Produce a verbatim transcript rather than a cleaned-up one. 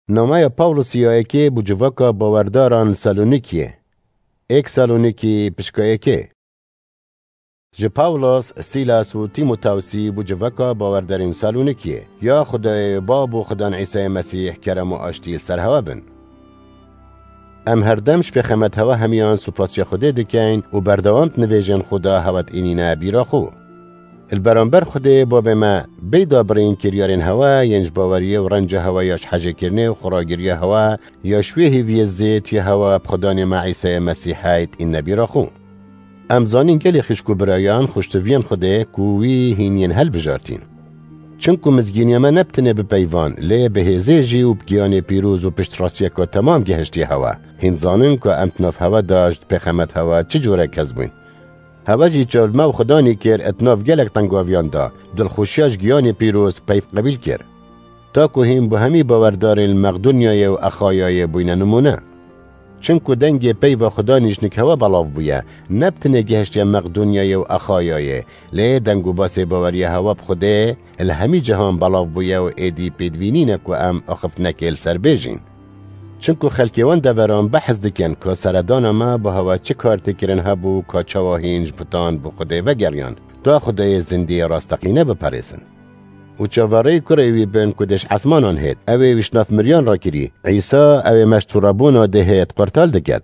Nameya Pawlosî ya yekê bo civaka bawerdaran li Salonîkiyê. Êk Salonîkî pişka yekê. Ji Pawlos, Sîlas û Tîmotawsî bo civaka bawerdarên Salonîkiyê. Ya Xwedayê Bab û Xudan Îsayê Mesîh kerem û aştî li ser hewe bin. Em herdem ji pêxemet hewe hemiyan supasiya Xwedê dikeyn û berdewam di nivêjên xwe de hewe dînîne bîra xwe. Li beramber Xwedê Babê me, bêda birîn kiryarên hewe yên ji baweriyê û renca hewe ya ji hejêkirinê û xweragiriya hewe ya ji wê hêviyê zêd ya hewe bi Xudanê me Îsayê Mesîhê dînîne bîra xwe. Em zanîn gelê xişk û birayan xweştiviyên Xwedê ku wî hîn yên hilbijartîn. Çinku mizgîniya me ne bi tenê bi peyvan, lê bi hêzê jî û bi giyanê pîroz û piştrastiyeke temam gihiştiye hewe. Hîn zanin ku em di nav hewe de ji pêxemet hewe çi cure kes bûyn. Hewe jî çav li me û Xudanî kir, di nav gelek tengaviyan de, dilxweşiya ji giyanê pîroz peyv qebîl kir. Ta ku hîn bo hemî bawerdarên li Meqdonyayê û Exayayê bûyne nimûne. Çinku dengê peyva Xudanî ji nik hewe belav bûye, ne bi tenê gihiştiye Meqdonyayê û Exayayê, lê deng û basê baweriya hewe bi Xwedê li hemî cihan belav bûye û êdî pêdivî nîne ku em axiftinekê li ser bêjîn. Çinku xelkê wan deveran behs dikin ku seredana me bo hewe çi kar tê kirin hebû ka çawa hîn ji butan bo Xwedê vegeriyan, ta Xwedayê zindî rasteqîne biperêzin. Û çaverêyî kurê wî bin ku dê ji esmanan hêt, ew ê wî ji nav miriyan rakirî. Îsa ew ê me ji torebûna dê hêt qurtal diket.